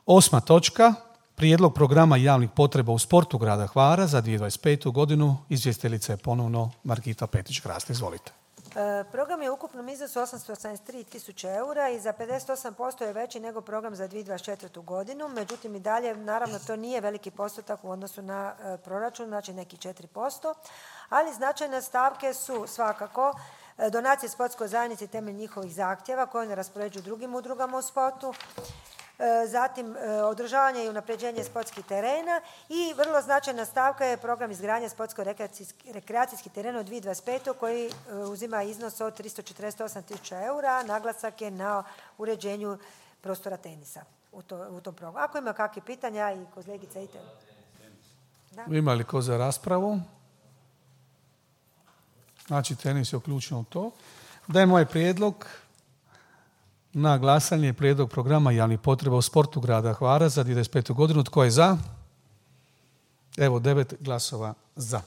8. točka, prijedlog programa javnih potreba u sportu grada Hvara za 2025. godinu. Izvjestiteljica je ponovno Margita Petić-Krast. Izvolite. Program je u ukupnom iznosu 883.000 eura i za 58% je veći nego program za 2024. godinu. Međutim, i dalje, naravno, to nije veliki postotak u odnosu na proračun, znači neki 4%, ali značajne stavke su svakako donacije sportskoj zajednici temelj njihovih zahtjeva koje ne raspoređuju drugim udrugama u sportu, zatim održavanje i unapređenje sportskih terena i vrlo značajna stavka je program izgradnje sportsko-rekreacijskih terena u 2025. koji uzima iznos od 348.000 eura. Naglasak je na uređenju prostora tenisa u tom programu. Ako ima kakve pitanja i kolegica idete. Ima li ko za raspravu? Znači, tenis je uključen u to. Dajem ovaj prijedlog na glasanje, prijedlog programa javnih potreba u sportu grada Hvara za 2025. godinu. Tko je za? Evo, 9 glasova za.